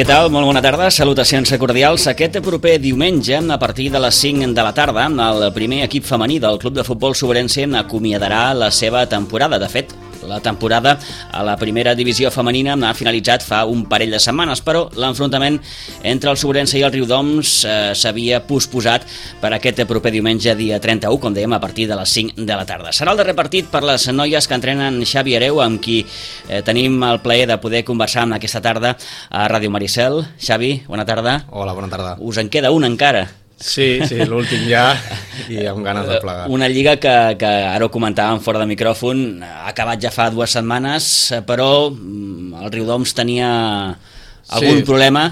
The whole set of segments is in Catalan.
Què tal? Molt bona tarda, salutacions cordials. Aquest proper diumenge, a partir de les 5 de la tarda, el primer equip femení del Club de Futbol Sobrense acomiadarà la seva temporada. De fet, la temporada a la primera divisió femenina ha finalitzat fa un parell de setmanes, però l'enfrontament entre el Sobrense i el Riudoms s'havia posposat per aquest proper diumenge, dia 31, com dèiem, a partir de les 5 de la tarda. Serà el darrer partit per les noies que entrenen Xavi Hereu, amb qui tenim el plaer de poder conversar aquesta tarda a Ràdio Maricel. Xavi, bona tarda. Hola, bona tarda. Us en queda un encara. Sí, l'últim ja, i amb ganes de plegar. Una lliga que ara ho comentàvem fora de micròfon, ha acabat ja fa 2 setmanes, però el Riudoms tenia algun problema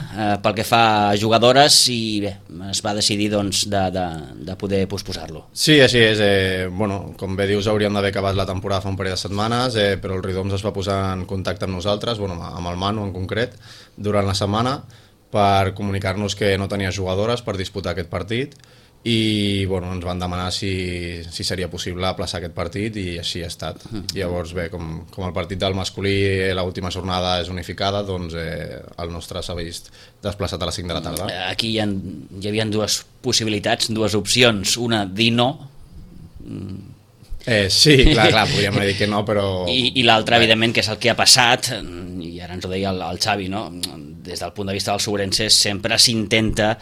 pel que fa a jugadores i bé, es va decidir doncs, de poder posposar-lo. Sí, així és. Com bé dius, hauríem d'haver acabat la temporada fa un parell de setmanes, però el Riudoms es va posar en contacte amb nosaltres, amb el Manu en concret, durant la setmana, per comunicar-nos que no tenia jugadores per disputar aquest partit i ens van demanar si seria possible aplaçar aquest partit i així ha estat. Llavors, bé, com el partit del masculí l'última jornada és unificada, doncs el nostre s'ha vist desplaçat a les 5 de la tarda. Aquí hi havia 2 possibilitats, 2 opcions. Una, dir no. Sí, clar, podríem dir que no, però... I l'altra, evidentment, que és el que ha passat, i ara ens ho deia el Xavi, no? Des del punt de vista dels sobrenses sempre s'intenta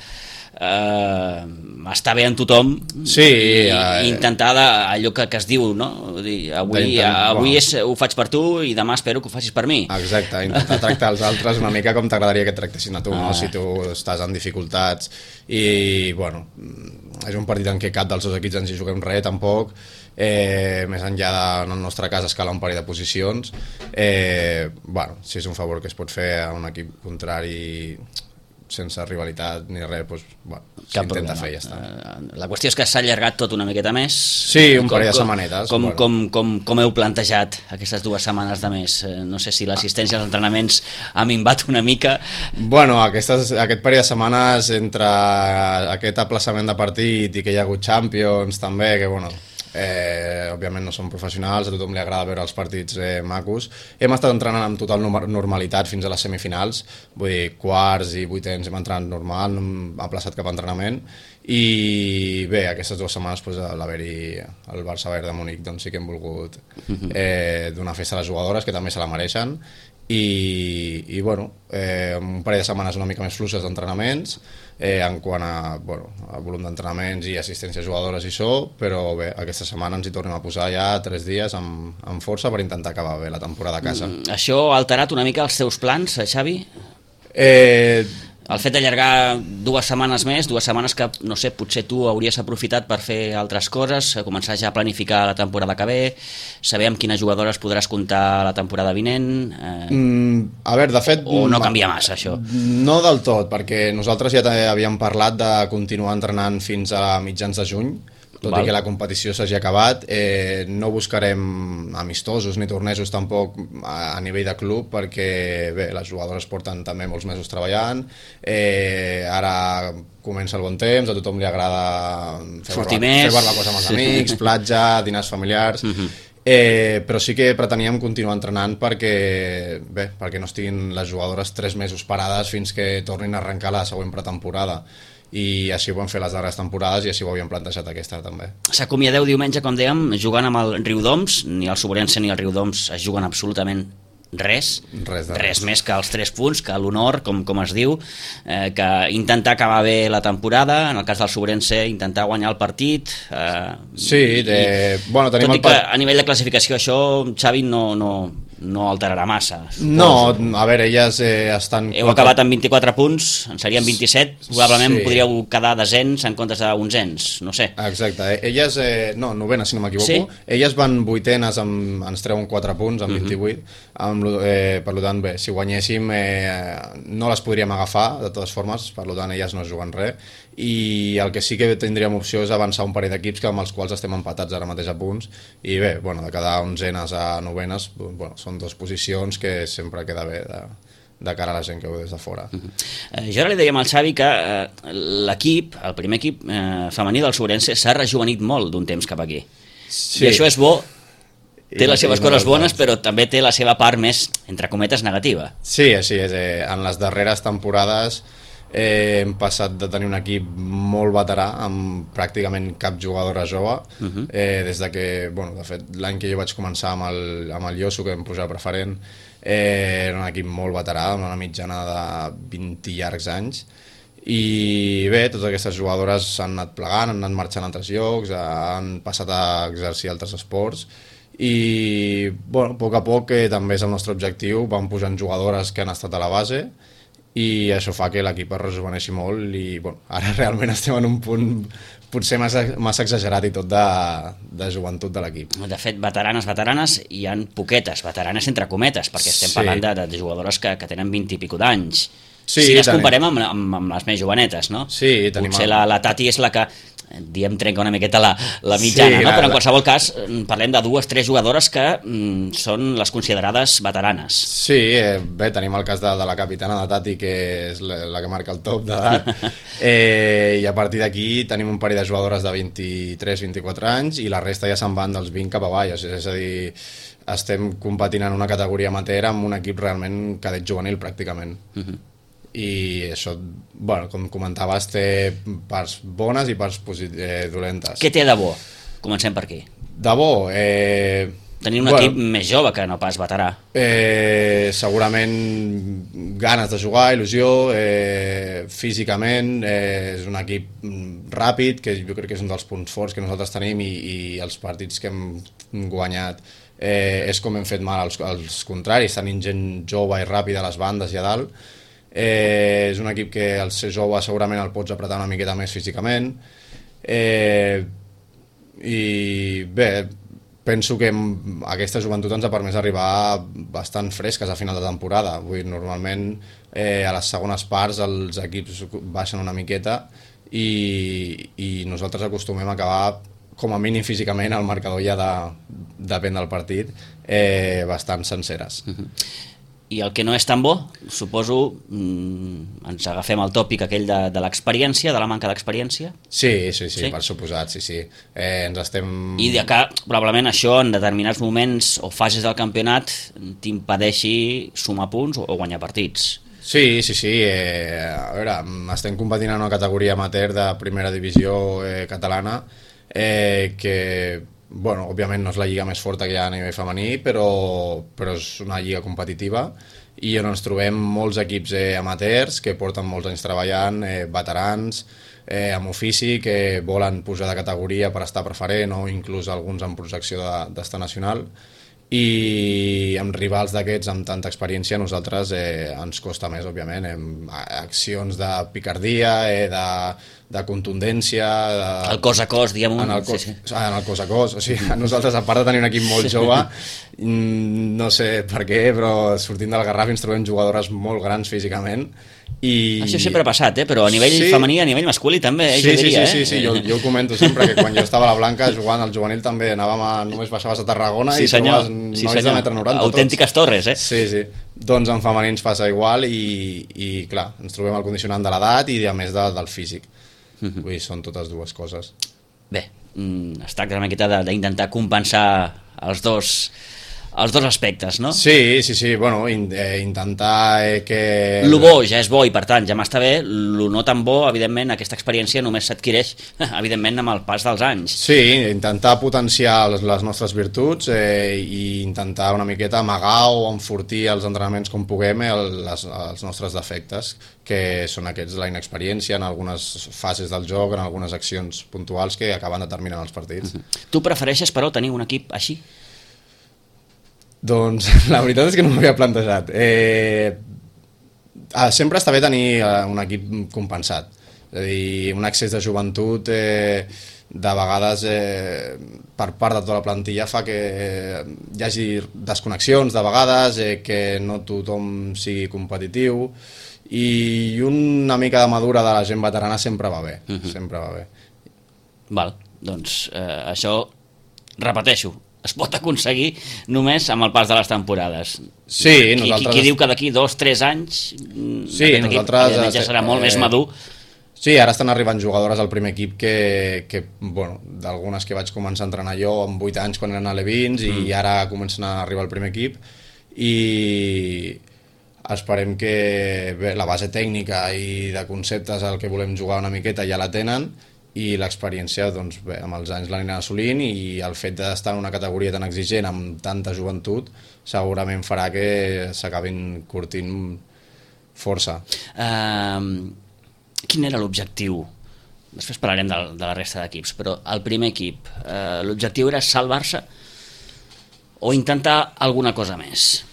estar bé en tothom, sí, i intentar allò que es diu, no? Avui ho faig per tu i demà espero que ho facis per mi. Exacte, intentar tractar els altres una mica com t'agradaria que et tractessin a tu, no? Si tu estàs en dificultats i, és un partit en què cap dels 2 equips ens hi juguem res, tampoc. Més enllà en el nostre cas escalar un parell de posicions, si és un favor que es pot fer a un equip contrari sense rivalitat ni res, s'intenta fer i ja està. La qüestió és que s'ha allargat tot una miqueta més. Sí, un parell de setmanetes. Com heu plantejat aquestes 2 setmanes de més? No sé si l'assistència als entrenaments ha minvat una mica. Aquest parell de setmanes entre aquest aplaçament de partit i que hi ha hagut Champions també, que òbviament no som professionals, a tothom li agrada veure els partits macos. Hem estat entrenant amb total normalitat fins a les semifinals, vull dir, quarts i vuitens hem entrenat normal, no hem aplaçat cap entrenament i bé, aquestes 2 setmanes a l'haver-hi el Barça Bayern de Múnich sí que hem volgut donar festa a les jugadores, que també se la mereixen, i un parell de setmanes una mica més fluixes d'entrenaments en quant a volum d'entrenaments i assistència a jugadores i això, però bé, aquesta setmana ens hi tornem a posar ja 3 dies amb força per intentar acabar bé la temporada a casa. Això ha alterat una mica els teus plans, Xavi? El fet d'allargar 2 setmanes més, 2 setmanes que, no sé, potser tu hauries aprofitat per fer altres coses, començar ja a planificar la temporada que ve, saber amb quines jugadores podràs comptar la temporada vinent... de fet... O no canvia massa, això? No del tot, perquè nosaltres ja havíem parlat de continuar entrenant fins a mitjans de juny, tot i que la competició s'hagi acabat. No buscarem amistosos ni tornejos tampoc a nivell de club, perquè bé, les jugadores porten també molts mesos treballant, ara comença el bon temps, a tothom li agrada fer barbacoa amb els amics, platja, dinars familiars, però sí que preteníem continuar entrenant perquè no estiguin les jugadores 3 mesos parades fins que tornin a arrencar la següent pretemporada. I així ho vam fer les darreres temporades i així ho havíem plantejat aquesta també. S'acomiadeu diumenge, com dèiem, jugant amb el Riudoms. Ni el Sobrense ni el Riudoms es juguen absolutament res més que els 3 punts, que l'honor, com es diu, que intentar acabar bé la temporada, en el cas del Sobrense intentar guanyar el partit. Tot i que a nivell de classificació això, Xavi, no alterarà massa. No, a veure, elles estan... Heu acabat amb 24 punts, en serien 27, probablement podríeu quedar desens en comptes d'onzens, no sé. Exacte, elles, novenes si no m'equivoco, elles van vuitenes, ens treuen 4 punts amb 28, per tant, bé, si guanyéssim no les podríem agafar, de totes formes, per tant elles no es juguen res, i el que sí que tindríem opció és avançar un parell d'equips amb els quals estem empatats ara mateix a punts, i bé, de quedar onzenes a novenes, són 2 posicions que sempre queda bé de cara a la gent que ho des de fora. Jo ara li dèiem al Xavi que l'equip, el primer equip femení del Sobrense s'ha rejuvenit molt d'un temps cap aquí. I això és bo Té les seves coses bones, però també té la seva part més, entre cometes, negativa. Sí, així és. En les darreres temporades hem passat de tenir un equip molt veterà, amb pràcticament cap jugadora jove, des de que, de fet, l'any que jo vaig començar amb el Yosu, que em posava preferent, era un equip molt veterà, amb una mitjana de 20 i llargs anys, i bé, totes aquestes jugadores s'han anat plegant, han anat marxant a altres llocs, han passat a exercir altres esports, i a poc a poc també és el nostre objectiu, van posant jugadores que han estat a la base, i això fa que l'equip es rejuveneixi molt, i ara realment estem en un punt potser massa exagerat i tot de joventut de l'equip. De fet, veteranes, hi ha poquetes, veteranes entre cometes, perquè estem parlant de jugadores que tenen 20 i pico d'anys. Sí, si les comparem amb les més jovenetes, no? Sí, tenim... Potser la Tati és la que, trenca una miqueta la mitjana, no? Però en qualsevol cas parlem de 2 o 3 jugadores que són les considerades veteranes. Sí, bé, tenim el cas de la capitana de Tati, que és la que marca el top d'edat, i a partir d'aquí tenim un parell de jugadores de 23-24 anys i la resta ja se'n van dels 20 cap avall, és a dir, estem competint en una categoria amateur amb un equip realment cadet juvenil pràcticament. I això, com comentaves, té parts bones i parts dolentes. Què té de bo? Comencem per aquí. De bo? Tenir un equip més jove que no pas veterà. Segurament ganes de jugar, il·lusió, físicament, és un equip ràpid, que jo crec que és un dels punts forts que nosaltres tenim, i els partits que hem guanyat és com hem fet mal als contraris, tenint gent jove i ràpida a les bandes i a dalt. És un equip que al ser jove segurament el pots apretar una miqueta més físicament, i bé, penso que aquesta joventut ens ha permès arribar bastant fresques a final de temporada. Normalment a les segones parts els equips baixen una miqueta i nosaltres acostumem a acabar, com a mínim físicament, el marcador ja depèn del partit, bastant senceres. I el que no és tan bo, suposo, ens agafem el tòpic aquell de l'experiència, de la manca d'experiència? Sí, per suposat, sí. Ens estem... I de que probablement això en determinats moments o fases del campionat t'impedeixi sumar punts o guanyar partits. Sí. A veure, estem competint en una categoria amateur de primera divisió catalana, que... òbviament no és la lliga més forta que hi ha a nivell femení, però és una lliga competitiva i on ens trobem molts equips amateurs que porten molts anys treballant, veterans, amb ofici, que volen pujar de categoria per estar preferent o inclús alguns amb projecció d'estar nacional, i amb rivals d'aquests amb tanta experiència a nosaltres ens costa més, òbviament, accions de picardia, de contundència, el cos a cos, diguem-ho. En el cos a cos, o sigui, nosaltres, a part de tenir un equip molt jove, no sé per què, però sortint del Garraf ens trobem jugadores molt grans físicament. Això sempre ha passat, però a nivell femení, a nivell masculí també, jo diria. Sí, jo ho comento sempre, que quan jo estava a la Blanca jugant al juvenil també només baixaves a Tarragona i trobaves nois de 1,90 m. Autèntiques torres, eh? Sí. Doncs en femení ens passa igual i clar, ens trobem el condicionant de l'edat i a més del físic. Vull dir, són totes dues coses. Bé, es tracta una miqueta d'intentar compensar els dos aspectes, no? Sí, intentar que... Lo bo ja és bo i per tant ja m'està bé, lo no tan bo, evidentment, aquesta experiència només s'adquireix, evidentment, amb el pas dels anys. Sí, intentar potenciar les nostres virtuts i intentar una miqueta amagar o enfortir els entrenaments com puguem els nostres defectes, que són aquests, la inexperiència en algunes fases del joc, en algunes accions puntuals que acaben determinant els partits. Tu prefereixes, però, tenir un equip així? Doncs la veritat és que no m'ho havia plantejat. Sempre està bé tenir un equip compensat. És a dir, un excés de joventut de vegades per part de tota la plantilla fa que hi hagi desconnexions de vegades, que no tothom sigui competitiu, i una mica de madura de la gent veterana sempre va bé. Sempre va bé. Val, doncs això, repeteixo, es pot aconseguir només amb el pas de les temporades. Sí, nosaltres... Qui diu que d'aquí 2 o 3 anys sí, aquest equip ja serà molt més madur. Sí, ara estan arribant jugadores al primer equip que bueno, d'algunes que vaig començar a entrenar jo amb 8 anys quan eren a Levins i ara comencen a arribar al primer equip i esperem que bé, la base tècnica i de conceptes al que volem jugar una miqueta ja la tenen i l'experiència doncs, bé, amb els anys l'aniran assolint i el fet d'estar en una categoria tan exigent amb tanta joventut segurament farà que s'acabin curtint força. Quin era l'objectiu? Després parlarem de la resta d'equips, però el primer equip, l'objectiu era salvar-se o intentar alguna cosa més?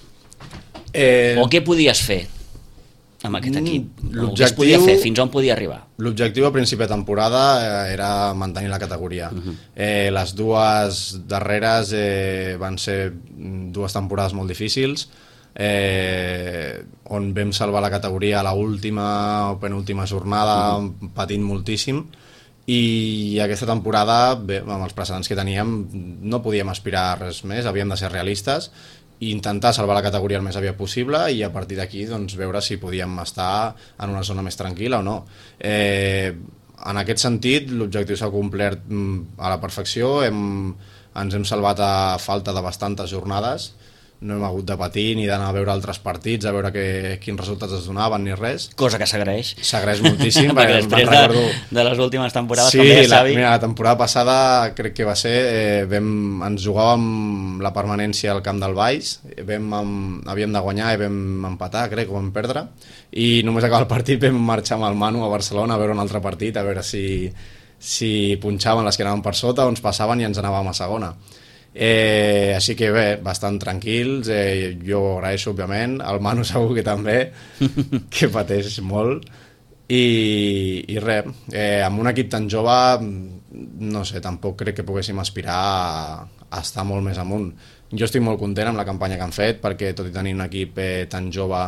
O què podies fer amb aquest equip? O què es podia fer? Fins on podia arribar? L'objectiu a principi de temporada era mantenir la categoria. Les dues darreres van ser 2 temporades molt difícils, on vam salvar la categoria a l'última o penúltima jornada patint moltíssim i aquesta temporada bé, amb els precedents que teníem no podíem aspirar a res més, havíem de ser realistes i intentar salvar la categoria el més aviat possible i a partir d'aquí doncs, veure si podíem estar en una zona més tranquil·la o no. En aquest sentit l'objectiu s'ha complert a la perfecció, ens hem salvat a falta de bastantes jornades, no hem hagut de patir ni d'anar a veure altres partits, a veure quins resultats es donaven ni res. Cosa que s'agraeix. S'agraeix moltíssim. Perquè després de les últimes temporades, sí, com deia Xavi... Mira, la temporada passada crec que va ser, ens jugàvem la permanència al camp del Baix, havíem de guanyar i vam empatar, crec, o vam perdre, i només acabar el partit vam marxar amb el Manu a Barcelona a veure un altre partit, a veure si punxaven les que anaven per sota o ens passaven i ens anàvem a segona. Així que bé, bastant tranquils, jo ho agraeixo òbviament, el Manu segur que també, que pateix molt i res, amb un equip tan jove no sé, tampoc crec que poguéssim aspirar a estar molt més amunt. Jo estic molt content amb la campanya que han fet perquè tot i tenir un equip tan jove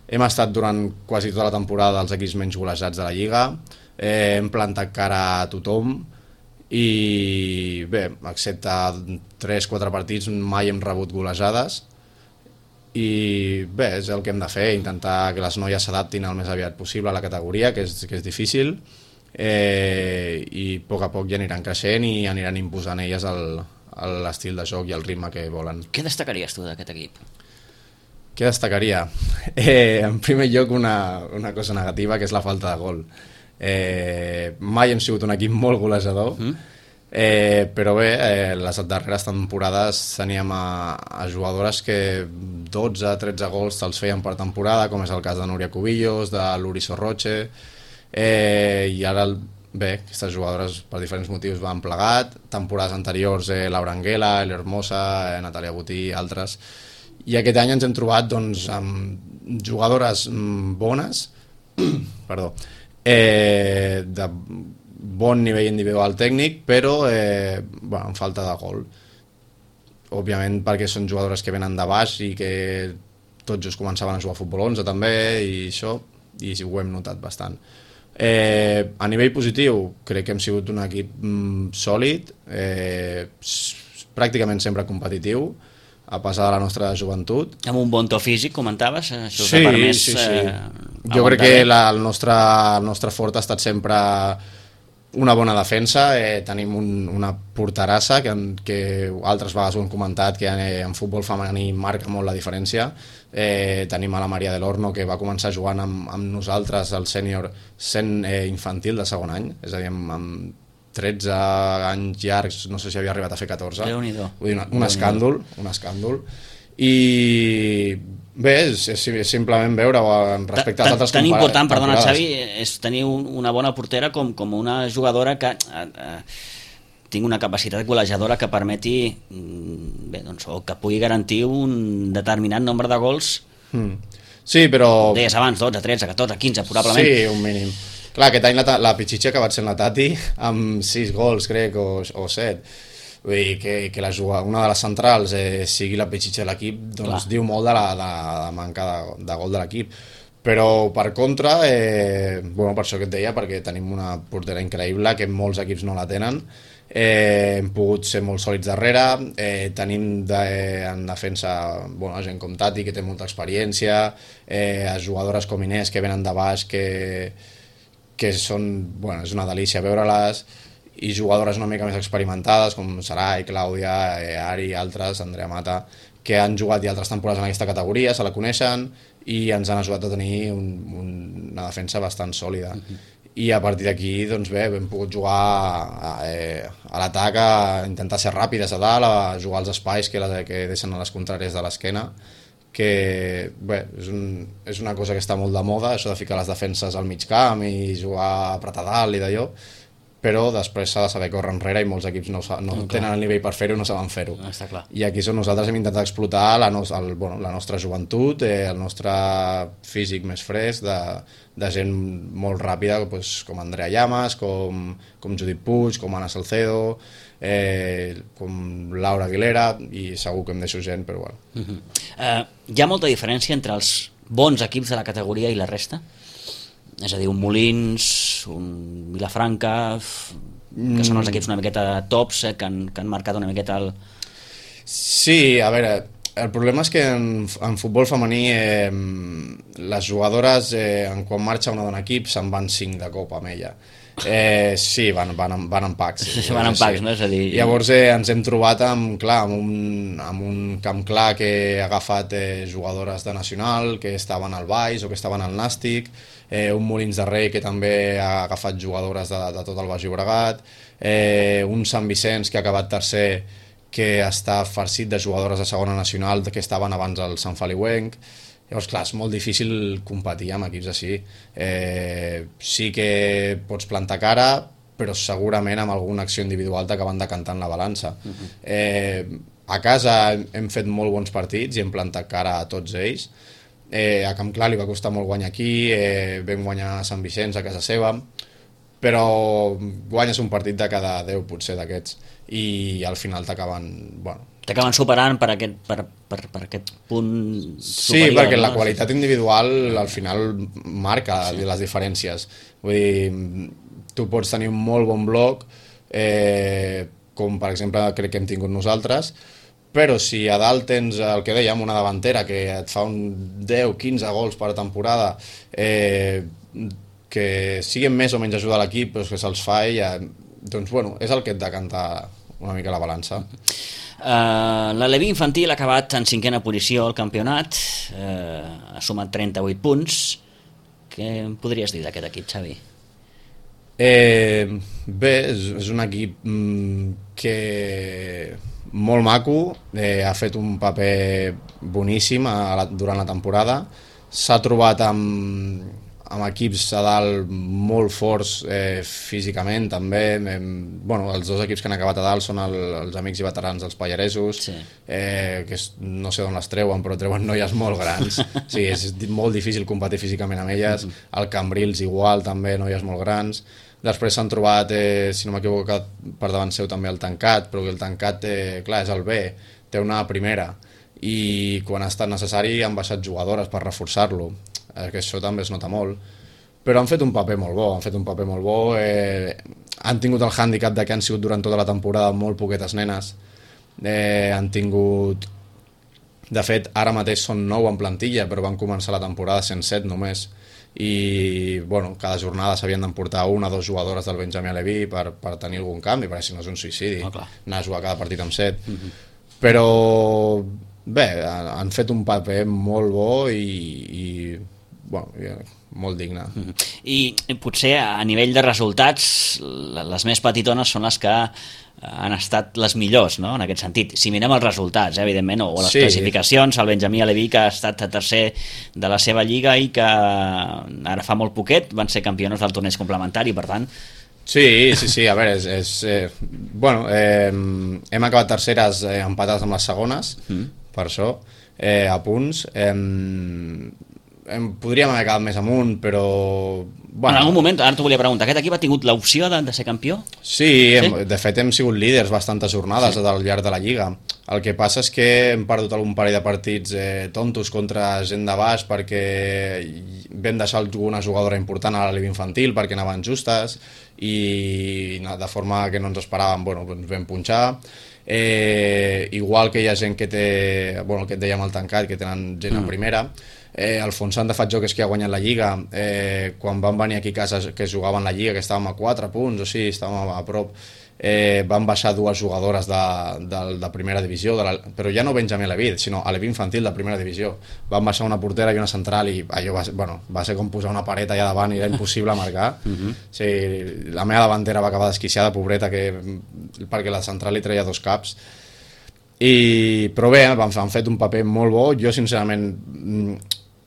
hem estat durant quasi tota la temporada dels equips menys golejats de la Lliga, hem plantat cara a tothom i bé, excepte 3-4 partits mai hem rebut golejades i bé, és el que hem de fer, intentar que les noies s'adaptin el més aviat possible a la categoria, que és difícil i a poc ja aniran creixent i aniran imposant elles l'estil de joc i el ritme que volen. Què destacaries tu d'aquest equip? Què destacaria? En primer lloc una cosa negativa, que és la falta de gol. Mai hem sigut un equip molt golejador, però bé, les darreres temporades teníem a jugadores que 12-13 gols te'ls feien per temporada, com és el cas de Núria Cubillos, de Luri Sorroche, i ara bé, aquestes jugadores per diferents motius van plegat, temporades anteriors Laura Anguela, El Hermosa, Natàlia Botí, altres, i aquest any ens hem trobat doncs, amb jugadores bones, perdó, de bon nivell individual tècnic, però amb falta de gol. Òbviament perquè són jugadores que venen de baix i que tots just començaven a jugar a futbol 11 també i això, i ho hem notat bastant. A nivell positiu crec que hem sigut un equip sòlid, pràcticament sempre competitiu, a pesar de la nostra joventut. Amb un bon to físic, comentaves? Això sí, permès, sí. Jo crec que el nostre fort ha estat sempre una bona defensa, tenim una porterassa que altres vegades ho hem comentat, que en futbol femení marca molt la diferència. Tenim a la Maria del Horno, que va començar jugant amb nosaltres al sènior sent infantil de segon any, és a dir, amb 13 anys llargs, no sé si havia arribat a fer 14. Déu-n'hi-do. Vull dir, un escàndol. I bé, és simplement veure respecte als altres tan important, perdona Xavi, és tenir una bona portera com una jugadora que tingui una capacitat golejadora que permeti bé, doncs, o que pugui garantir un determinat nombre de gols. Sí, però... Deies abans, 12, 13, 14, 15 probablement. Sí, un mínim. Clar, aquest any la Pichichi ha acabat sent la Tati amb 6 gols, crec, o 7. Vull dir que una de les centrals sigui la Pichichi de l'equip, doncs diu molt de la manca de gol de l'equip. Però per contra, per això que et deia, perquè tenim una portera increïble que molts equips no la tenen, hem pogut ser molt sòlids darrere, tenim en defensa gent com Tati, que té molta experiència, jugadores com Inés, que venen de baix, que que és una delícia veure-les, i jugadores una mica més experimentades com Sarai, Clàudia, Ari i altres, Andrea Mata, que han jugat i altres temporades en aquesta categoria, se la coneixen i ens han ajudat a tenir una defensa bastant sòlida. I a partir d'aquí, doncs bé, hem pogut jugar a l'atac, a intentar ser ràpides a dalt, a jugar als espais que deixen a les contràries de l'esquena, que bé, és una cosa que està molt de moda, això de ficar les defenses al mig camp i jugar a apretar dalt i d'allò, però després s'ha de saber córrer enrere i molts equips no tenen el nivell per fer-ho, no saben fer-ho. Està clar. I aquí nosaltres hem intentat explotar la nostra joventut, el nostre físic més fresc, de gent molt ràpida, com Andrea Llamas, com Judit Puig, com Ana Salcedo, com Laura Aguilera, i segur que em deixo gent, però bueno. Hi ha molta diferència entre els bons equips de la categoria i la resta? És a dir, un Molins, un Vilafranca, que són els equips una miqueta tops, que han marcat una miqueta el... Sí, a veure, el problema és que en futbol femení les jugadores, quan marxa una dona equip, se'n van 5 de cop amb ella. Sí, van en packs. Van en packs, no? És a dir... Llavors ens hem trobat amb un camp clar que ha agafat jugadores de Nacional, que estaven al Baix o que estaven al Nàstic, un Molins de Rei que també ha agafat jugadores de tot el Baix Llobregat, un Sant Vicenç que ha acabat tercer, que està farcit de jugadores de segona nacional que estaven abans al Sant Feliuenc. Llavors, clar, és molt difícil competir amb equips així. Sí que pots plantar cara, però segurament amb alguna acció individual t'acaben decantant la balança. A casa hem fet molt bons partits i hem plantat cara a tots ells. A Camp Clar li va costar molt guanyar aquí, vam guanyar a Sant Vicenç a casa seva, però guanyes un partit de cada 10 potser d'aquests i al final t'acaben... Bueno, t'acaben superant per aquest punt superior. Sí, perquè la qualitat individual al final marca les diferències. Vull dir, tu pots tenir un molt bon bloc, com per exemple crec que hem tingut nosaltres, però si a dalt tens el que dèiem, una davantera que et fa un 10-15 gols per temporada, que siguin més o menys ajuda a l'equip, però que se'ls fa ella, doncs bueno, és el que et decanta una mica la balança. La Levi infantil ha acabat en 5ª posició al campionat, ha sumat 38 punts. Què em podries dir d'aquest equip, Xavi? Bé, és un equip que molt maco, ha fet un paper boníssim durant la temporada, s'ha trobat amb equips a dalt molt forts físicament també. Els dos equips que han acabat a dalt són els amics i veterans dels Pallaresos, sí. Que no sé d'on les treuen, però treuen noies molt grans. Sí, és molt difícil competir físicament amb elles. El Cambrils igual, també noies molt grans. Després s'han trobat, si no m'equivoco, per davant seu també el Tancat, però el Tancat, clar, és el B, té una primera, i quan ha estat necessari han baixat jugadores per reforçar-lo, que això també es nota molt, però han fet un paper molt bo, han tingut el hàndicap de que han sigut durant tota la temporada molt poquetes nenes, han tingut... De fet, ara mateix són 9 en plantilla, però van començar la temporada sent 7 només, i bueno, cada jornada s'havien d'emportar 1 o 2 jugadores del Benjamí Aleví per tenir algun canvi, perquè si no és un suïcidi, anar a jugar cada partit amb 7. Però bé, han fet un paper molt bo i molt digne. I potser a nivell de resultats les més petitones són les que han estat les millors, no? En aquest sentit, si mirem els resultats, evidentment, o les classificacions, el Benjamí Aleví, que ha estat tercer de la seva lliga i que ara fa molt poquet van ser campiones del torneig complementari, per tant... Sí, a veure, hem acabat terceres empatades amb les segones, per això, a punts. Podríem haver acabat més amunt, però... En algun moment, ara t'ho volia preguntar, aquest equip ha tingut l'opció de ser campió? Sí, de fet hem sigut líders bastantes jornades al llarg de la Lliga. El que passa és que hem perdut algun parell de partits tontos contra gent de baix perquè vam deixar alguna jugadora important a la Liga Infantil perquè anaven justes i de forma que no ens esperàvem, ens vam punxar. Igual que hi ha gent que té, el que et dèiem al Tancat, que tenen gent a primera, Alfons Sant de Fatjó, que és qui ha guanyat la Lliga, quan van venir aquí a casa que jugaven la Lliga, que estàvem a 4 punts o sí, estàvem a prop, van baixar 2 jugadores de primera divisió, però ja no Benjamí Levid, sinó a l'equip infantil de primera divisió. Van baixar una portera i una central i allò va ser com posar una paret allà davant i era impossible marcar. Sí, la meva davantera va acabar desquiciada, pobreta, perquè la central li treia 2 caps. Però bé, han fet un paper molt bo. Jo sincerament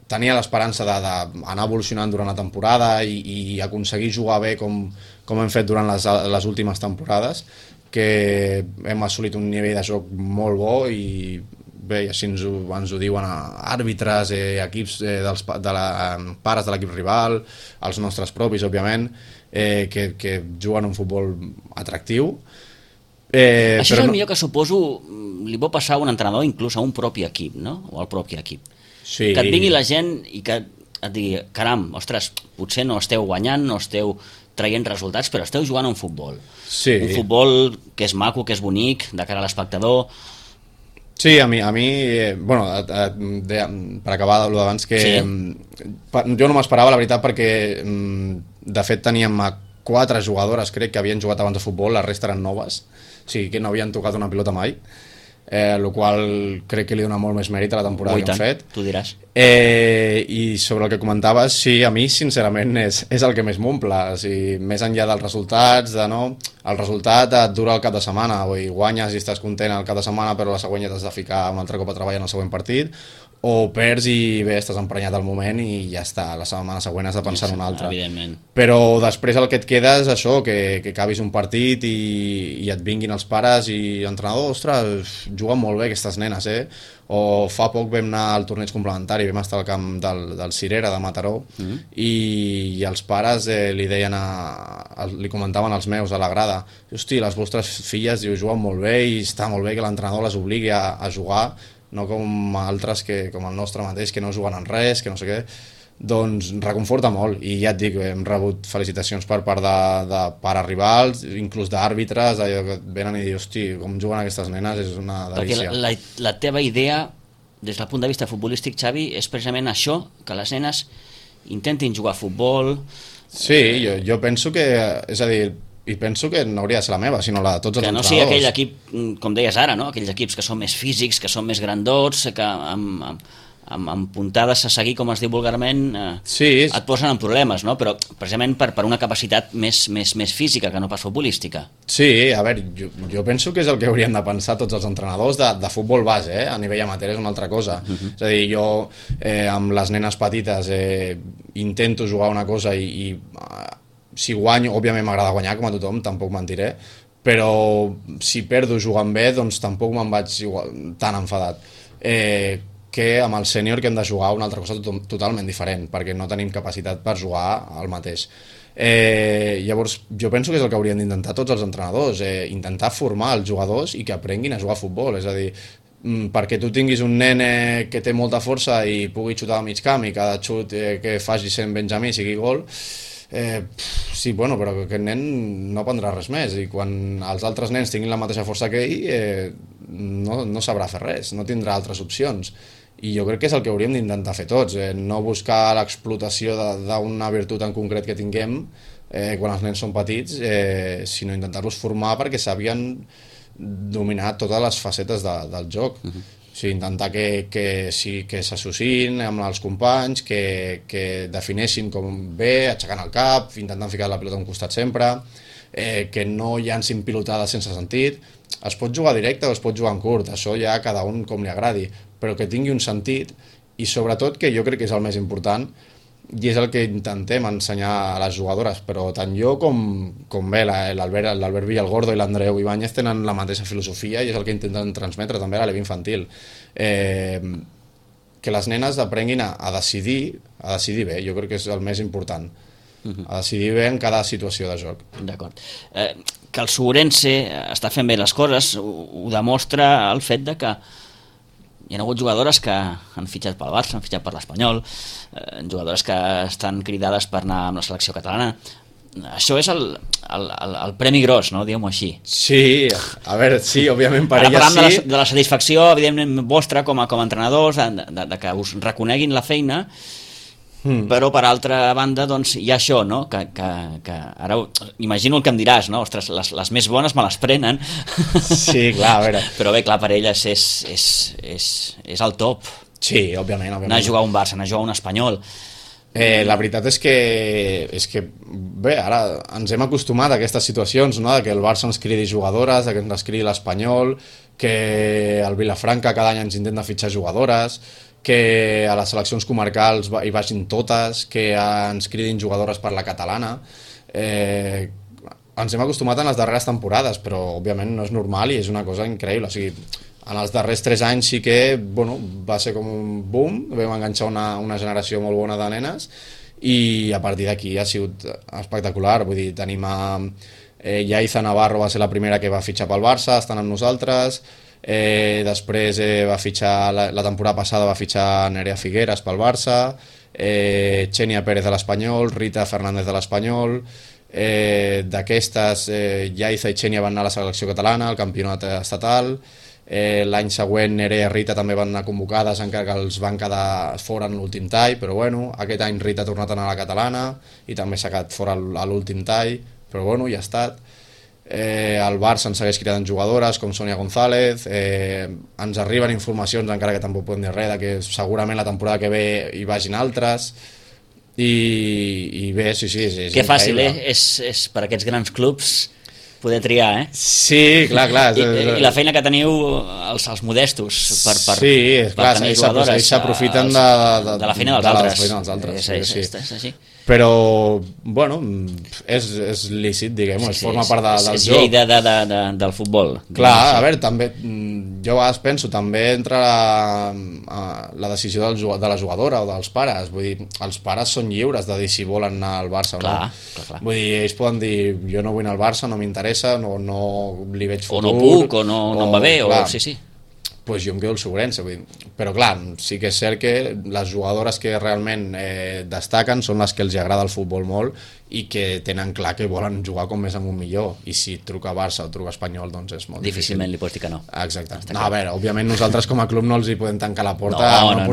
tenia l'esperança d'anar evolucionant durant la temporada i aconseguir jugar bé com hem fet durant les últimes temporades, que hem assolit un nivell de joc molt bo i bé, així ens ho diuen àrbitres, equips pares de l'equip rival, els nostres propis, òbviament, que juguen un futbol atractiu. Això és el millor que suposo li pot passar a un entrenador, inclús a un propi equip, no? O al propi equip. Sí. Que et vingui la gent i que et digui, caram, ostres, potser no esteu guanyant, no esteu traient resultats, però esteu jugant a un futbol. Sí. Un futbol que és maco, que és bonic, de cara a l'espectador. Sí, a mi bueno, per acabar d'allò d'abans, que sí. Jo no m'esperava, la veritat, perquè de fet teníem 4 jugadores, crec, que havien jugat abans de futbol, la resta eren noves, o sigui que no havien tocat una pilota mai, el qual crec que li dona molt més mèrit a la temporada que han fet. Tu diràs. I sobre el que comentaves, sí, a mi sincerament és el que més m'omple, o sigui, més enllà dels resultats, el resultat et dura el cap de setmana, guanyes i estàs content el cap de setmana, però la següent ja t'has de ficar un altre cop a treballar en el següent partit, o perds i bé, estàs emprenyat al moment i ja està, la setmana següent has de pensar en un altre. Evidentment. Però després el que et queda és això, que acabis un partit i et vinguin els pares i l'entrenador, ostres, juguen molt bé aquestes nenes, o fa poc vam anar al torneig complementari, vam estar al camp del Cirera de Mataró, i els pares li deien li comentaven als meus a la grada, hosti, les vostres filles juguen molt bé i està molt bé que l'entrenador les obligui a jugar, no com altres, com el nostre mateix, que no juguen en res, que no sé què. Doncs reconforta molt, i ja et dic, hem rebut felicitacions per part de pares rivals, inclús d'àrbitres, que venen i diuen, hosti, com juguen aquestes nenes, és una delícia. Perquè la teva idea, des del punt de vista futbolístic, Xavi, és precisament això, que les nenes intentin jugar a futbol. Sí, jo penso que, és a dir, i penso que no hauria de ser la meva, sinó la de tots els entrenadors. Que no sigui aquell equip, com deies ara, no? Aquells equips que són més físics, que són més grandots, que amb puntades a seguir, com es diu vulgarment, et posen en problemes, no? Però precisament per una capacitat més física que no pas futbolística. Sí, a veure, jo penso que és el que haurien de pensar tots els entrenadors de futbol base, a nivell amateur és una altra cosa. És a dir, jo amb les nenes petites intento jugar una cosa i si guanyo, òbviament m'agrada guanyar, com a tothom, tampoc mentiré, però si perdo jugant bé, doncs tampoc me'n vaig tan enfadat. Que amb el sènior que hem de jugar una altra cosa totalment diferent, perquè no tenim capacitat per jugar al mateix. Llavors, jo penso que és el que haurien d'intentar tots els entrenadors, intentar formar els jugadors i que aprenguin a jugar a futbol, és a dir, perquè tu tinguis un nen que té molta força i pugui xutar a mig camp i cada xut que faci sent Benjamí sigui gol, sí, bueno, però aquest nen no aprendrà res més i quan els altres nens tinguin la mateixa força que ell no sabrà fer res, no tindrà altres opcions, i jo crec que és el que hauríem d'intentar fer tots, no buscar l'explotació d'una virtut en concret que tinguem quan els nens són petits, sinó intentar-los formar perquè sàpiguen dominar totes les facetes del joc. O sigui, intentar que s'associïn amb els companys, que defineixin com bé, aixecant el cap, intentant ficar la pilota a un costat sempre, que no llancin pilotades sense sentit. Es pot jugar directe o es pot jugar en curt, això ja cada un com li agradi, però que tingui un sentit i sobretot, que jo crec que és el més important, i és el que intentem ensenyar a les jugadores, però tant jo com bé l'Albert Villalgordo i l'Andreu Ibáñez tenen la mateixa filosofia i és el que intenten transmetre també a l'equip infantil, que les nenes aprenguin a decidir bé, jo crec que és el més important, a decidir bé en cada situació de joc. D'acord. Que el Ourense està fent bé les coses ho demostra el fet de que hi ha hagut jugadores que han fitxat pel Barça, han fitxat per l'Espanyol, jugadores que estan cridades per anar amb la selecció catalana. això és el premi gros, no? Diguem-ho així. Sí, a veure, sí, òbviament per ella sí. De la satisfacció, evidentment, vostra com a entrenadors, de que us reconeguin la feina, però per altra banda doncs, hi ha això, no? que ara imagino el que em diràs, no? Ostres, les més bones me les prenen. Sí, clar, a veure. Però bé, clar, per elles és el top. Sí, òbviament. Anar a jugar a un Barça, anar a jugar a un Espanyol. La veritat és que bé, ara ens hem acostumat a aquestes situacions, no? Que el Barça ens cridi jugadores, que ens cridi l'Espanyol, que el Vilafranca cada any ens intenta fitxar jugadores, que a les seleccions comarcals hi vagin totes, que ens cridin jugadores per la catalana. Ens hem acostumat en les darreres temporades, però òbviament no és normal i és una cosa increïble. O sigui, en els darrers 3 anys sí que va ser com un boom, vam enganxar una generació molt bona de nenes i a partir d'aquí ha sigut espectacular. Vull dir, tenim Yaiza Navarro, va ser la primera que va fitxar pel Barça, estan amb nosaltres. Després va fitxar la temporada passada va fitxar Nerea Figueras pel Barça, Xenia Pérez de l'Espanyol, Rita Fernández de l'Espanyol. D'aquestes Yaiza i Xenia van anar a la selecció catalana, al campionat estatal. L'any següent Nerea i Rita també van anar convocades, encara que els van quedar fora en l'últim tall, però bueno, aquest any Rita ha tornat a anar a la catalana i també s'ha quedat fora a l'últim tall, però bueno, ja ha estat. El Barça ens segueix cridant jugadores com Sònia González, ens arriben informacions, encara que tampoc podem dir res, que segurament la temporada que ve hi vagin altres i bé, sí, és que fàcil, és per aquests grans clubs poder triar, Sí, clar. I la feina que teniu els modestos per tenir jugadores. Ells s'aprofiten de la feina dels altres. Sí. És així. Però, bueno, és lícit, diguem-ho, forma part del joc. És llei del futbol. Clar, a veure, també, jo a vegades penso, també entra la decisió de la jugadora o dels pares. Vull dir, els pares són lliures de dir si volen anar al Barça o no. Clar. Vull dir, ells poden dir, jo no vull anar al Barça, no m'interessa, no li veig futur. O no puc, o no em va bé, clar, sí. Pues jo em quedo al Sobrense, però clar, sí que és cert que les jugadores que realment destaquen són les que els agrada el futbol molt i que tenen clar que volen jugar com més amunt millor, i si truca Barça o truca Espanyol, doncs és molt difícilment li pots dir que no. Exacte. No, a veure, òbviament nosaltres com a club no els hi podem tancar la porta no.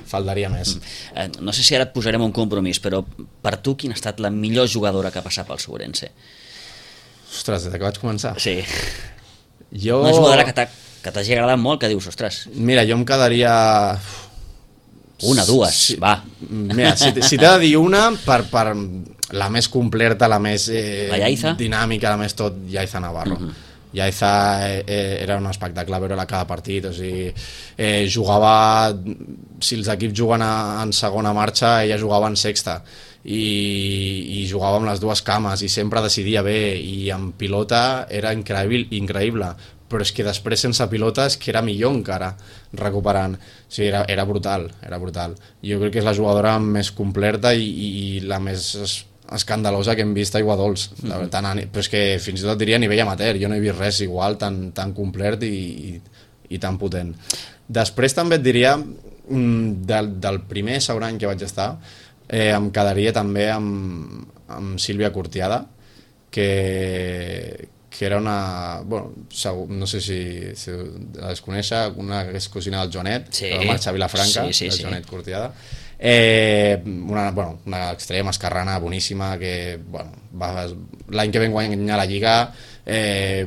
Faltaria més. No sé si ara et posarem un compromís, però per tu quina ha estat la millor jugadora que ha passat pel Sobrense? Ostres, des que vaig començar? Sí. Una jugadora que t'hagi agradat molt, que dius, ostres... Mira, jo em quedaria... Una, dues, va. Mira, si t'he de dir una, per la més completa, la més dinàmica, la més tot, Yaiza Navarro. Yaiza era un espectacle veure-la cada partit, o sigui, jugava... Si els equips juguen en segona marxa, ella jugava en sexta. I jugava amb les dues cames i sempre decidia bé, i en pilota era increïble, però és que després sense pilota és que era millor encara recuperant. O sigui, era brutal. Jo crec que és la jugadora més completa i la més escandalosa que hem vist a Aiguadols. Però és que fins i tot diria a nivell amateur, jo no he vist res igual, tan complet i tan potent. Després també et diria del primer segon any que vaig estar, em quedaria també amb Sílvia Curtiada, que era una... Bueno, no sé si la desconèixer, una que és cosina del Joanet, que va marxar a Vilafranca, del Joanet Curtiada. Una extrema esquerrana boníssima que l'any que vam guanyar la Lliga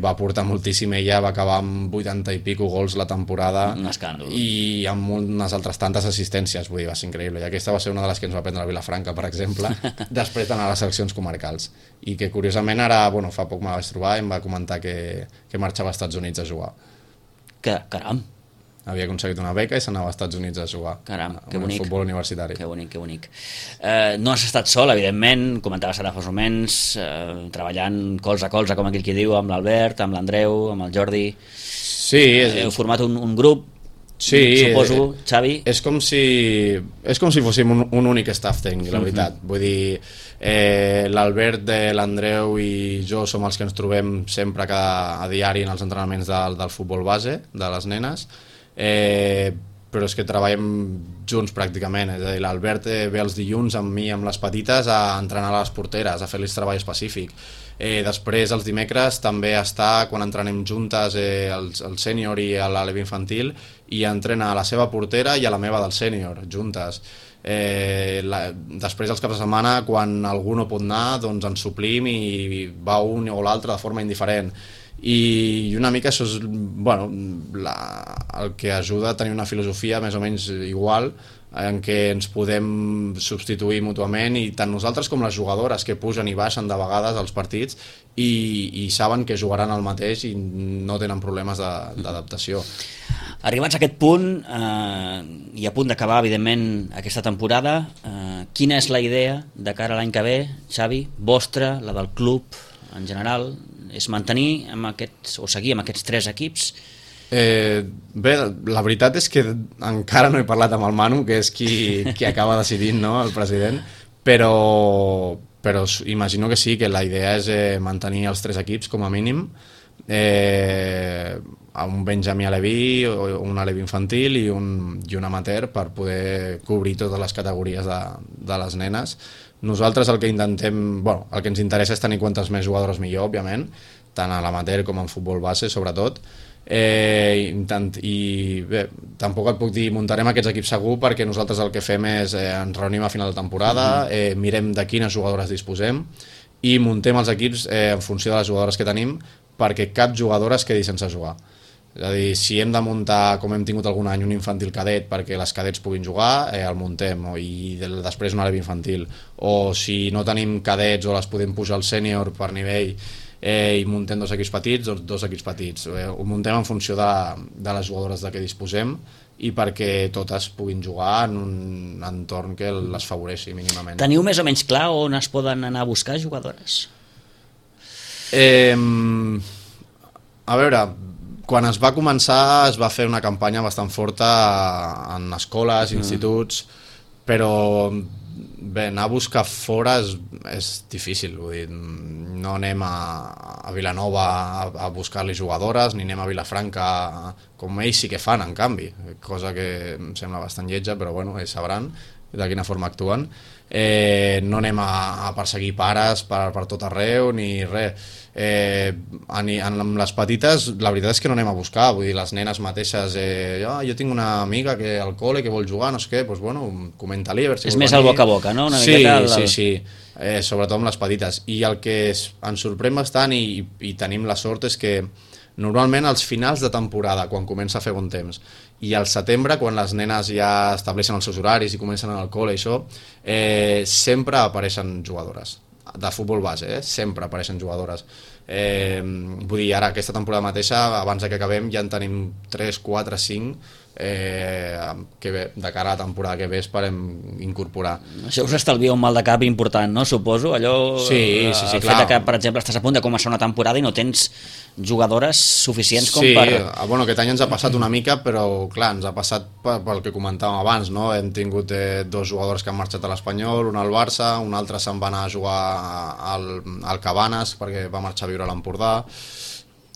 va portar moltíssim. Ella va acabar amb 80 i pico gols la temporada, un escàndol, i amb unes altres tantes assistències. Vull dir, va ser increïble, i aquesta va ser una de les que ens va prendre a Vilafranca, per exemple, després d'anar a les seleccions comarcals, i que curiosament ara, fa poc me la vaig trobar i em va comentar que marxava als Estats Units a jugar. Caram! Havia aconseguit una beca i s'anava als Estats Units a jugar. Caram, que bonic. Futbol universitari. Que bonic. No has estat sol, evidentment, comentaves ara fa uns moments, treballant colze a colze, com aquell qui diu, amb l'Albert, amb l'Andreu, amb el Jordi. Sí. Heu format un grup, suposo, Xavi. És com si fóssim un únic staff tècnic, la veritat. Vull dir, l'Albert, l'Andreu i jo som els que ens trobem sempre a diari en els entrenaments del futbol base, de les nenes. però és que treballem junts pràcticament, és a dir, l'Albert ve els dilluns amb mi, amb les petites, a entrenar a les porteres, a fer-los treball específic. Després els dimecres també està quan entrenem juntes el sènior i l'Aleve infantil, i entrena a la seva portera i a la meva del sènior juntes. Després els caps de setmana, quan algú no pot anar, doncs ens suplim i va un o l'altre de forma indiferent. I una mica això és el que ajuda a tenir una filosofia més o menys igual, en què ens podem substituir mútuament, i tant nosaltres com les jugadores, que pugen i baixen de vegades als partits i saben que jugaran el mateix i no tenen problemes d'adaptació. Arribats a aquest punt i a punt d'acabar, evidentment, aquesta temporada, quina és la idea de cara a l'any que ve, Xavi, vostra, la del club en general? És mantenir o seguir amb aquests 3 equips? Bé, la veritat és que encara no he parlat amb el Manu, que és qui acaba decidint, no?, el president, però imagino que sí, que la idea és mantenir els 3 equips com a mínim, un Benjamí Aleví, un Aleví infantil i un amateur, per poder cobrir totes les categories de les nenes. Nosaltres el que intentem, el que ens interessa és tenir quantes més jugadores millor, òbviament, tant a l'amateur com en futbol base, sobretot. I bé, tampoc et puc dir muntarem aquests equips segur, perquè nosaltres el que fem és ens reunim a final de temporada, mirem de quines jugadores disposem i muntem els equips en funció de les jugadores que tenim, perquè cap jugadora es quedi sense jugar. És a dir, si hem de muntar, com hem tingut algun any, un infantil cadet perquè les cadets puguin jugar, el muntem, i després un Aleví infantil. O si no tenim cadets o les podem pujar al sènior per nivell i muntem 2 equips petits, doncs 2 equips petits. Ho muntem en funció de les jugadores de què disposem i perquè totes puguin jugar en un entorn que les favoreixi mínimament. Teniu més o menys clar on es poden anar a buscar jugadores? A veure, quan es va començar es va fer una campanya bastant forta en escoles, instituts, però bé, anar a buscar fora és difícil, vull dir, no anem a Vilanova a buscar-li jugadores, ni anem a Vilafranca, com ells sí que fan, en canvi, cosa que em sembla bastant lletja, però bueno, ells sabran de quina forma actuen. No anem a perseguir pares per tot arreu ni res. Amb les petites la veritat és que no anem a buscar, vull dir, les nenes mateixes, jo tinc una amiga que al col·le que vol jugar, no sé què, doncs bueno, comenta-li a veure si és més el boca a boca, no? Sí, sobretot amb les petites. I el que ens sorprèn bastant i tenim la sort és que normalment als finals de temporada, quan comença a fer bon temps, i al setembre, quan les nenes ja estableixen els seus horaris i comencen a anar al col·le i això, sempre apareixen jugadores de futbol base, sempre apareixen jugadores. Vull dir, ara aquesta temporada mateixa, abans que acabem, ja en tenim 3, 4, 5 que bé, de cara a la temporada que ve esperem incorporar. Això us estalvia un mal de cap important, no? Suposo, allò sí, el clar. fet que, per exemple, estàs a punt de començar una temporada i no tens jugadores suficients com per... Sí, bueno, aquest any ens ha passat una mica, però clar, ens ha passat pel que comentàvem abans, no? Hem tingut 2 jugadors que han marxat a l'Espanyol, un al Barça, un altre se'n va anar a jugar al Cabanes perquè va marxar a viure a l'Empordà.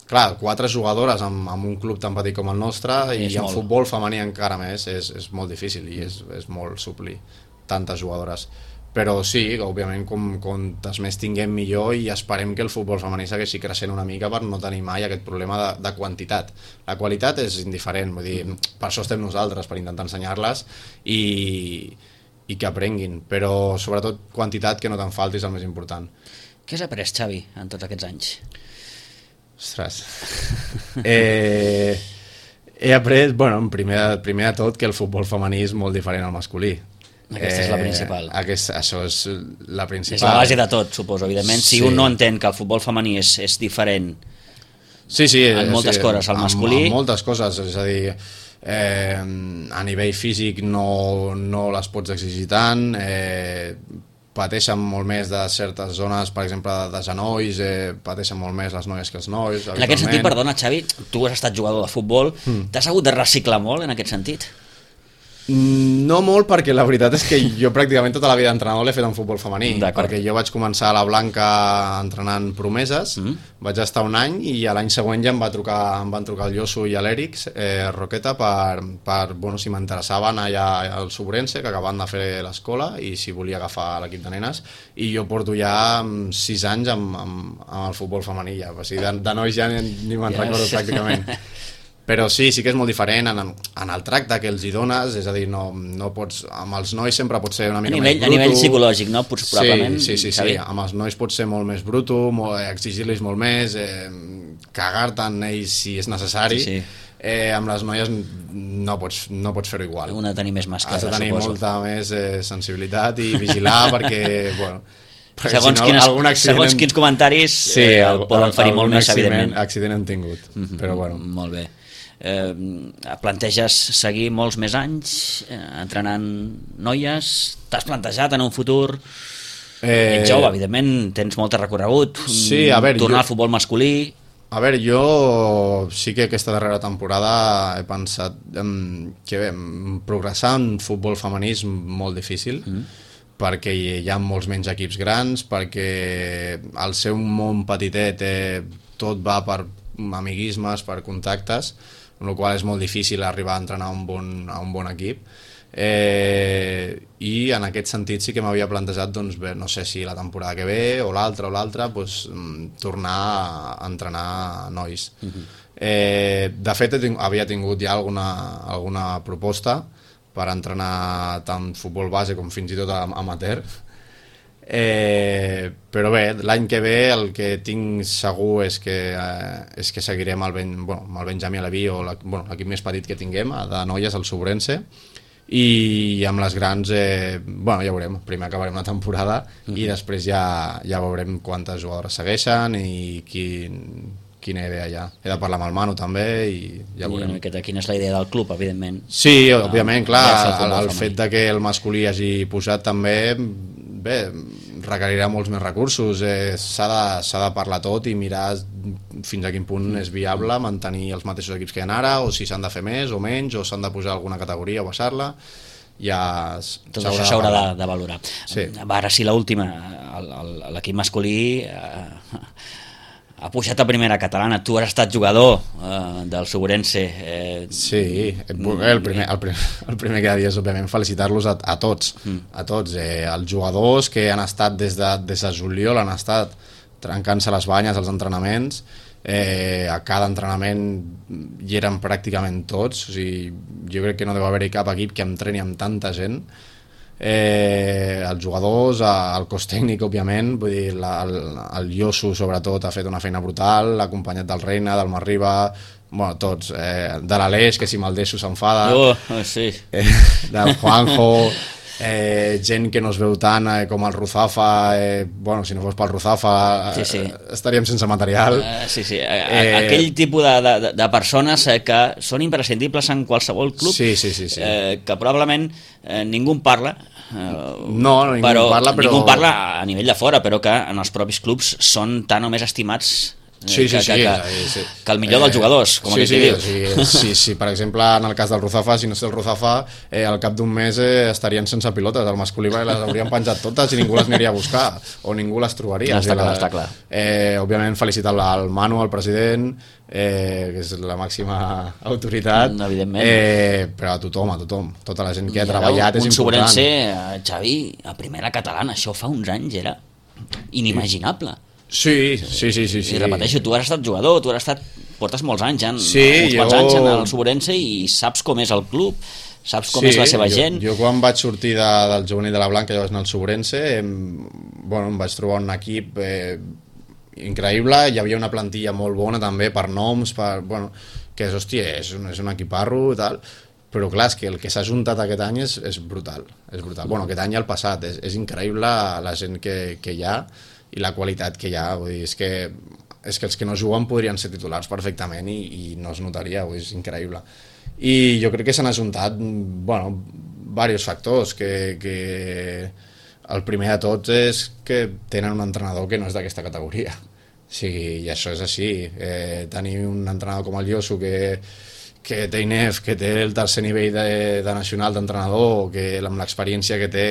Clar, 4 jugadores amb un club tan petit com el nostre i en futbol femení encara més és molt difícil i és molt suplir tantes jugadores. Però sí, òbviament, quantes més tinguem millor, i esperem que el futbol femení segueixi creixent una mica per no tenir mai aquest problema de quantitat. La qualitat és indiferent, vull dir, per això estem nosaltres, per intentar ensenyar-les i que aprenguin, però sobretot quantitat, que no te'n falti, és el més important. Què has après, Xavi, en tots aquests anys? Ostres. He après, bueno, primer de tot, que el futbol femení és molt diferent al masculí. Aquesta és la principal. Això és la principal. És la base de tot, suposo, evidentment. Si un no entén que el futbol femení és diferent en moltes coses al masculí... En moltes coses, és a dir, a nivell físic no les pots exigir tant, pateixen molt més de certes zones, per exemple, de genolls, pateixen molt més les noies que els nois. En aquest sentit, perdona, Xavi, tu has estat jugador de futbol, t'has hagut de reciclar molt en aquest sentit? No molt, perquè la veritat és que jo pràcticament tota la vida d'entrenador l'he fet en futbol femení, perquè jo vaig començar a la Blanca entrenant promeses, vaig estar un any i a l'any següent ja em van trucar el Josu i l'Èric Roqueta per si m'interessava anar allà al Sobrense, que acabaven de fer l'escola, i si volia agafar l'equip de nenes, i jo porto ja 6 anys amb el futbol femení ja, o sigui, de nois ja ni me'n recordo pràcticament. Però sí que és molt diferent en el tracte que els hi dones, és a dir, no pots, amb els nois sempre pot ser una mica més bruto. A nivell psicològic, no? Probablement. Sí, amb els nois pot ser molt més bruto, exigir-los molt més, cagar-te en ells si és necessari. Sí. Amb les noies no pots fer-ho igual. Una tenir més mà esquerra, suposo. Has de tenir molta més sensibilitat i vigilar perquè, bueno... Segons quins comentaris poden ferir molt més, evidentment. Accident han tingut, però bueno. Molt bé. Planteges seguir molts més anys entrenant noies? T'has plantejat en un futur? Ets jove, evidentment, tens molt recorregut. Tornar al futbol masculí. A veure, jo sí que aquesta darrera temporada he pensat que progressar en futbol femení és molt difícil, perquè hi ha molts menys equips grans, perquè al ser un món petitet tot va per amiguismes, per contactes, amb la qual és molt difícil arribar a entrenar a un bon equip. I en aquest sentit sí que m'havia plantejat, doncs, no sé si la temporada que ve o l'altra, tornar a entrenar nois. De fet, havia tingut ja alguna proposta per entrenar tant futbol base com fins i tot amateur, però bé, l'any que ve el que tinc segur és que seguirem amb el Benjamí Aleví o l'equip més petit que tinguem de noies, el Sobrense, i amb les grans ja veurem, primer acabarem la temporada i després ja veurem quantes jugadores segueixen i quina idea hi ha. He de parlar amb el Manu també i ja veurem. Quina és la idea del club, evidentment. Sí, òbviament, clar, el fet de que el masculí hagi posat també, requerirà molts més recursos, s'ha de parlar tot i mirar fins a quin punt és viable mantenir els mateixos equips que hi ha ara, o si s'han de fer més o menys, o s'han de posar alguna categoria o baixar-la. Tot això s'haurà de valorar. Ara sí, l'última, l'equip masculí ha pujat a primera catalana. Tu has estat jugador del Sobrense. Sí, el primer que ha de dir és, òbviament, felicitar-los a tots, els jugadors que han estat des de juliol, han estat trencant-se les banyes als entrenaments. A cada entrenament hi eren pràcticament tots, o sigui, jo crec que no deu haver-hi cap equip que entreni amb tanta gent. Els jugadors, el cos tècnic, òbviament, vull dir, el Josu sobretot ha fet una feina brutal, l'acompanyat del Reina, del Marriba, tots, de l'Aleix, que si me'l deixo s'enfada, del Juanjo, gent que no es veu tant com el Ruzafa, si no fos pel Ruzafa estaríem sense material. Aquell tipus de persones que són imprescindibles en qualsevol club, que probablement ningú en parla, ningú en parla a nivell de fora, però que en els propis clubs són tan o més estimats que el millor dels jugadors, com aquell que diu. Sí, per exemple, en el cas del Ruzafa, si no sé el Ruzafa, al cap d'un mes estarien sense pilotes, el masculí les haurien penjat totes i ningú les aniria a buscar, o ningú les trobaria. Està clar. Òbviament, felicitar el Manu, el president, que és la màxima autoritat, però a tothom, tota la gent que ha treballat és important. Un Sobrense, Xavi, a primera catalana, això fa uns anys era inimaginable. Sí. I repeteixo, tu has estat jugador, portes molts anys en el Sobrense i saps com és el club, saps com és la seva gent. Jo quan vaig sortir del juvenil de la Blanca i vaig anar al Sobrense, em vaig trobar un equip increïble, hi havia una plantilla molt bona també per noms, que és un equiparro i tal, però clar, és que el que s'ha juntat aquest any és brutal. Aquest any i el passat, és increïble la gent que hi ha i la qualitat que hi ha, vull dir, és que els que no juguen podrien ser titulars perfectament i no es notaria, vull dir, és increïble. I jo crec que s'han ajuntat diversos factors, que el primer de tots és que tenen un entrenador que no és d'aquesta categoria, i això és així. Tenir un entrenador com el Josu que que té INEF, que té el tercer nivell de nacional d'entrenador, que amb l'experiència que té...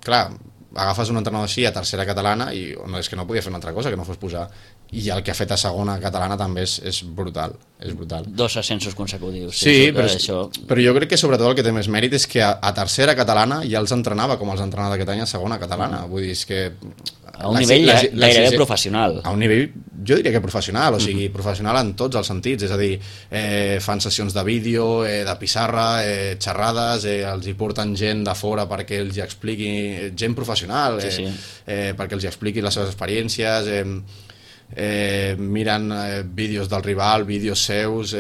Clar, agafes un entrenador així a tercera catalana i no, és que no podia fer una altra cosa que no fos posar, i el que ha fet a segona catalana també és brutal, és brutal. 2 ascensos consecutius. Sí, però jo crec que sobretot el que té més mèrit és que a tercera catalana ja els entrenava com els entrenava aquest any a segona catalana, vull dir, és que... A un nivell gairebé professional. A un nivell, jo diria que professional, o sigui, professional en tots els sentits, és a dir, fan sessions de vídeo, de pissarra, xerrades, els hi porten gent de fora perquè els hi expliqui, gent professional, perquè els hi expliqui les seves experiències, miren vídeos del rival, vídeos seus,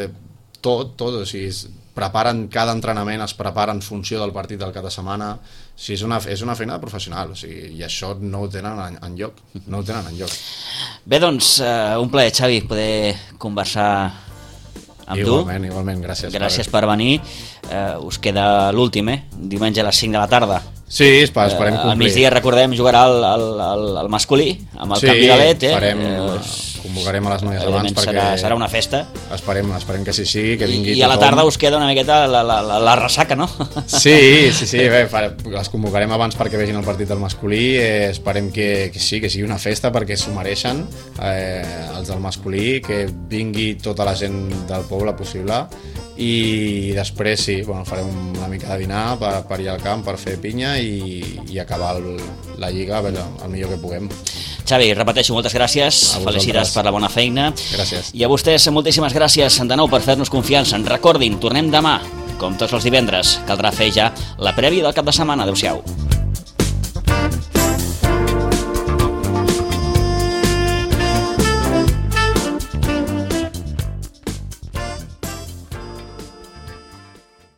tot, o sigui, preparen cada entrenament, es preparen en funció del partit del cap de setmana, o sigui, és una feina de professional, o sigui, i això no ho tenen enlloc, no ho tenen enlloc. Bé, doncs, un plaer, Xavi, poder conversar amb tu. Igualment, gràcies. Gràcies per venir. Us queda l'últim, diumenge a les 5 de la tarda. Sí, esperem complir. A migdia, recordem, jugarà el masculí, amb el canvi de led. Convocarem a les noies abans perquè... Serà una festa. Esperem que sí, que vingui tothom. I a la tarda us queda una miqueta la ressaca, no? Sí, bé, les convocarem abans perquè vegin el partit del masculí, esperem que sigui una festa perquè s'ho mereixen, els del masculí, que vingui tota la gent del poble possible, i després farem una mica de dinar per ir al camp, per fer pinya i acabar la lliga el millor que puguem. Xavi, repeteixo, moltes gràcies, felicitats per la bona feina. Gràcies. I a vostès, moltíssimes gràcies de nou per fer-nos confiança. Recordin, tornem demà, com tots els divendres. Caldrà fer ja la prèvia del cap de setmana. Adéu-siau.